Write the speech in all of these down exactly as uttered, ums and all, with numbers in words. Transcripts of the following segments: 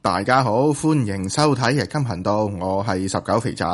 大家好，歡迎收睇日金頻道，我係十九肥仔。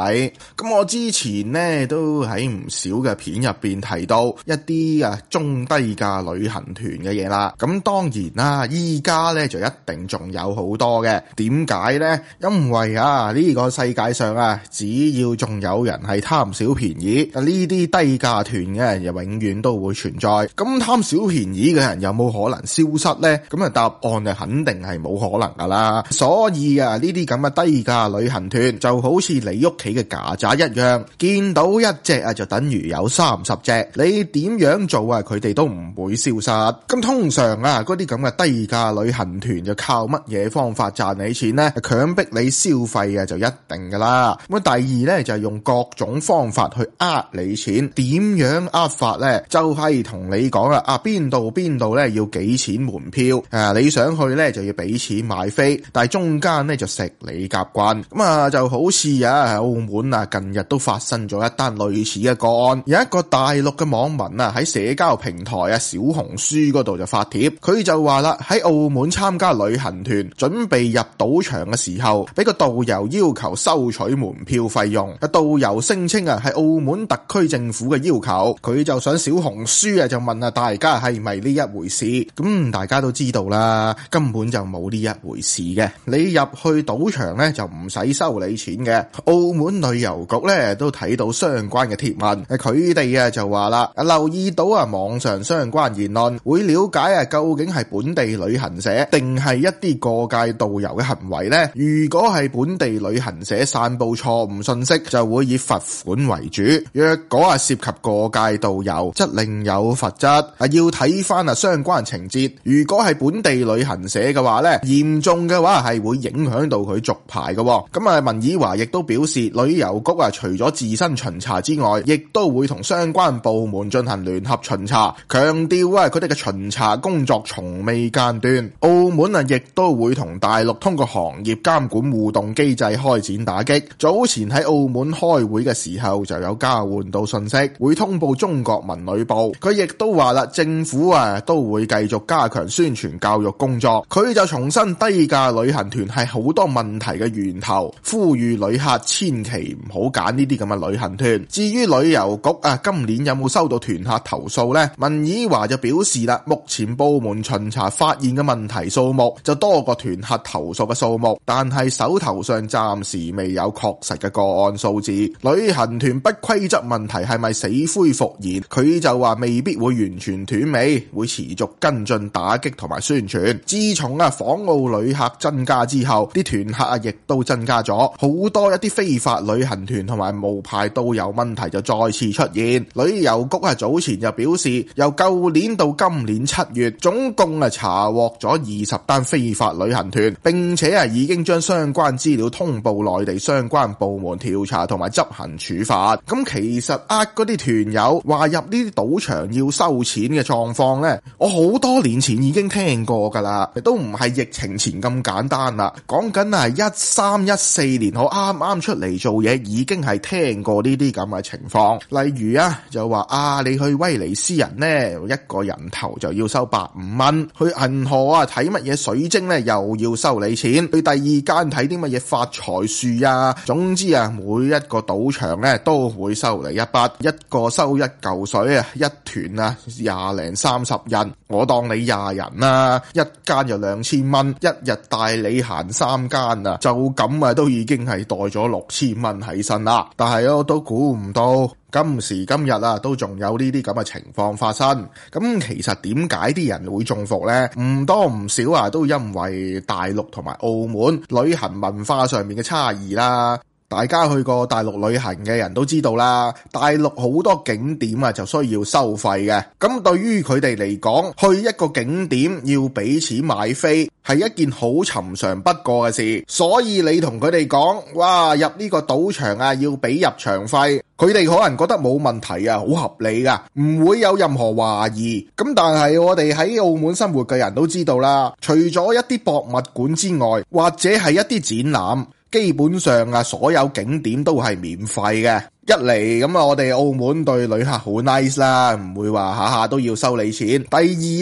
咁我之前呢都喺唔少嘅片入邊提到一啲啊中低價旅行團嘅嘢啦。咁當然啦，依家呢就一定仲有好多嘅。點解呢？因為啊呢個世界上啊，只要仲有人係貪小便宜，呢啲低價團嘅又永遠都會存在。咁貪小便宜嘅人有冇可能消失呢？咁啊答案就肯定係冇可能噶啦。所以啊，呢啲咁嘅低價旅行團就好似你屋企嘅曱甴一樣，見到一隻啊就等於有三十隻，你點樣做啊佢哋都唔會消失。咁通常啊嗰啲咁嘅低價旅行團就靠乜嘢方法賺你錢呢？強迫你消費啊就一定噶啦。咁第二呢，就係用各種方法去呃你錢。點樣呃法呢？就係同你講啦，啊邊度邊度呢要幾錢門票，啊你想去呢就要俾錢買飛，但係中間呢就食你夾慣。咁啊就好似啊澳門啊近日都發生咗一單類似嘅個案。有一個大陸嘅網民啊喺社交平台啊小紅書嗰度就發帖，佢就話啦，喺澳門參加旅行團準備入賭場嘅時候，俾個導遊要求收取門票費用。個導遊聲稱啊係澳門特區政府嘅要求，佢就上小紅書啊就問啊大家係咪呢一回事。咁大家都知道啦，根本就冇呢一回事嘅。你入去賭場咧就唔使收你錢嘅。澳門旅遊局咧都睇到相關嘅貼文，佢哋啊就話啦，留意到啊網上相關言論，會了解啊究竟係本地旅行社定係一啲過界導遊嘅行為呢？如果係本地旅行社散布錯誤信息，就會以罰款為主；若果啊涉及過界導遊，則另有罰則。啊要睇翻啊相關情節。如果係本地旅行社嘅話咧，嚴重嘅話係會影響到佢續牌嘅。咁啊，文綺華亦都表示，旅遊局啊除咗自身巡查之外，亦都會同相關部門進行聯合巡查，強調啊佢哋嘅巡查工作從未間斷。澳門啊亦都會同大陸通過行業監管互動機制開展打擊。早前喺澳門開會嘅時候就有交換到信息，會通報中國文旅部。佢亦都話啦，政府啊都會繼續加強宣傳教育工作。佢就重申低價旅行團係好多問題嘅源頭，呼籲旅客千祈唔好揀呢啲咁嘅旅行團。至於旅遊局啊，今年有冇收到團客投訴呢？文綺華就表示啦，目前部門巡查發現嘅問題數目就多過團客投訴嘅數目，但係手頭上暫時未有確實嘅個案數字。旅行團不規則問題係咪死灰復燃？佢就話未必會完全斷尾，會持續跟進打擊同埋宣傳。自從啊訪澳旅客增加之後，啲團客啊亦都增加咗好多，一啲非法旅行團同埋無牌導遊問題就再次出現。旅遊局啊早前就表示，由舊年到今年七月，總共啊查獲咗二十單非法旅行團，並且啊已經將相關資料通報內地相關部門調查同埋執行處罰。咁其實呃嗰啲團友話入呢啲賭場要收錢嘅狀況呢，我好多年前已經聽過噶啦，都唔係疫情前咁簡單啦。講緊係一三一四年我啱啱出嚟做嘢，已經係聽過呢啲咁嘅情況。例如啊，就話啊，你去威尼斯人呢，一個人頭就要收百五蚊；去銀河啊睇乜嘢水晶呢，又要收你錢；去第二間睇啲乜嘢發財樹啊，總之啊，每一個賭場呢都會收你一筆，一個收一嚿水啊，一團啊廿零三十人，我當你廿人啦，一間就兩千蚊，一日帶你行三間啊，就咁啊都已經係袋咗六千蚊喺身啦。但係我都估唔到今時今日啊，都仲有呢啲咁嘅情況發生。咁其實點解啲人會中伏呢？唔多唔少啊，都因為大陸同埋澳門旅行文化上面嘅差異啦。大家去過大陸旅行嘅人都知道啦，大陸好多景點啊就需要收費嘅。咁對於佢哋嚟講，去一個景點要俾錢買飛係一件好尋常不過嘅事。所以你同佢哋講，哇，入呢個賭場啊要俾入場費，佢哋可能覺得冇問題啊，好合理噶，唔會有任何懷疑。咁但係我哋喺澳門生活嘅人都知道啦，除咗一啲博物館之外，或者係一啲展覽，基本上啊，所有景點都係免費嘅。一嚟咁啊，我哋澳門對旅客好 nice 啦，唔會話下下都要收你錢。第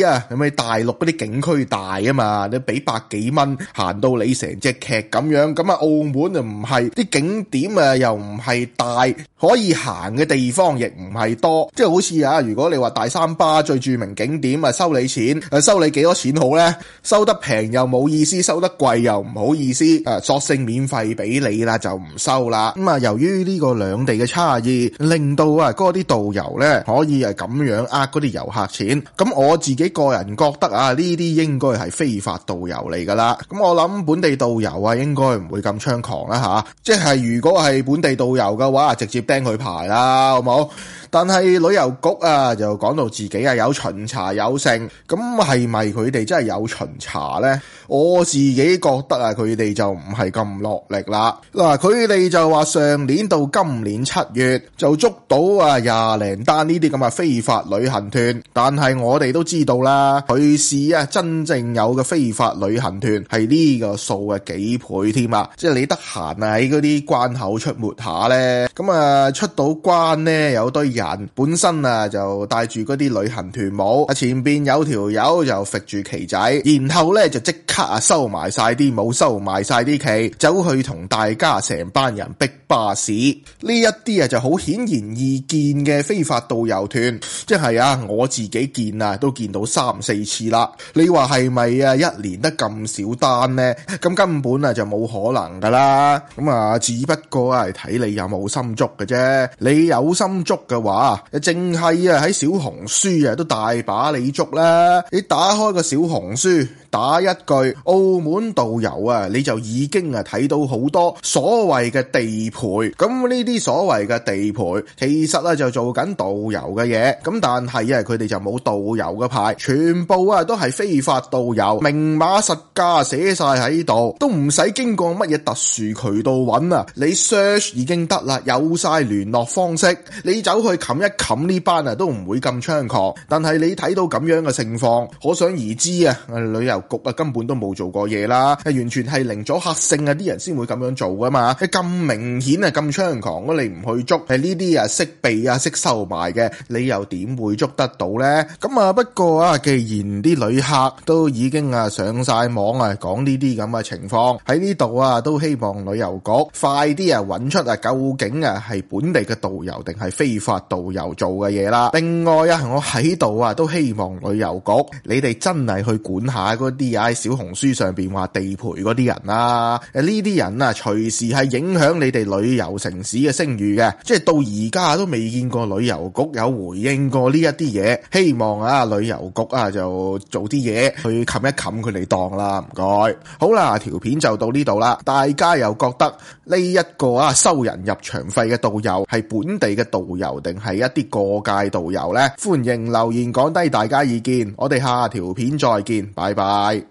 二啊，咁你大陸嗰啲景區大啊嘛，你俾百幾蚊行到你成隻劇咁樣，咁啊澳門就唔係，啲景點啊又唔係大，可以行嘅地方亦唔係多，即係好似啊，如果你話大三巴最著名景點啊收你錢，誒收你幾多錢好呢？收得平又冇意思，收得貴又唔好意思，誒索性免費俾你啦，就唔收啦。咁啊，由於呢個兩地嘅差異，令到啊嗰啲導遊咧可以係咁樣呃嗰啲遊客錢。咁我自己個人覺得啊，呢啲應該係非法導遊嚟噶啦。咁我諗本地導遊啊，應該唔會咁猖狂啦吓。即係如果係本地導遊嘅話，直接釘佢牌啦，好冇？但係旅遊局啊，就講到自己啊有巡查有剩，咁係咪佢哋真係有巡查呢？我自己覺得啊，佢哋就唔係咁落力啦。嗱，佢哋就話上年到今年七月就捉到啊廿零單呢啲咁嘅非法旅行團，但係我哋都知道啦，佢是啊真正有嘅非法旅行團係呢個數嘅幾倍添啊！即係你得閒啊喺嗰啲關口出沒下呢，咁啊出到關呢，有堆人本身啊就帶住嗰啲旅行團帽，啊前邊有條友就揈住旗仔，然後咧就即刻啊收埋晒啲帽，收埋晒啲旗，走去同大家成班人逼巴士。呢一啲啊就好顯然易見嘅非法導遊團，即係啊我自己見啊都見到三四次啦。你話係咪啊一年得咁少單呢？咁根本啊就冇可能噶啦。咁啊只不過啊係睇你有冇心捉嘅啫。你有心捉嘅話，啊，淨係啊喺小紅書啊都大把你捉啦！你打開個小紅書，打一句澳門導遊啊，你就已經啊睇到好多所謂嘅地陪。咁呢啲所謂嘅地陪，其實啊就做緊導遊嘅嘢。咁但係啊，佢哋就冇導遊嘅牌，全部啊都係非法導遊，明碼實價寫晒喺度，都唔使經過乜嘢特殊渠道揾啊！你 search 已經得啦，有晒聯絡方式，你走去冚一冚呢班啊，都唔會咁猖狂。但係你睇到咁樣嘅情況，可想而知啊，旅遊局啊根本都冇做過嘢啦，係完全係零阻嚇性啊，啲人先會咁樣做噶嘛。咁明顯啊咁猖狂，你唔去捉，係呢啲啊識避啊識收埋嘅，你又點會捉得到呢？咁啊不過啊，既然啲旅客都已經啊上晒網啊講呢啲咁嘅情況，喺呢度啊都希望旅遊局快啲啊揾出啊究竟啊係本地嘅導遊定係非法導遊做嘅嘢啦。另外啊，我喺度啊都希望旅遊局你哋真係去管下嗰啲喺小紅書上邊話地陪嗰啲人啦。誒呢啲人啊隨時係影響你哋旅遊城市嘅聲譽嘅，即係到而家都未見過旅遊局有回應過呢一啲嘢。希望啊旅遊局啊就做啲嘢去冚一冚佢哋檔啦，唔該。好啦，條片就到呢度啦。大家又覺得呢一個啊收人入場費嘅導遊係本地嘅導遊定係一啲過界導遊呢？歡迎留言講低大家意見，我哋下條片再見，拜拜。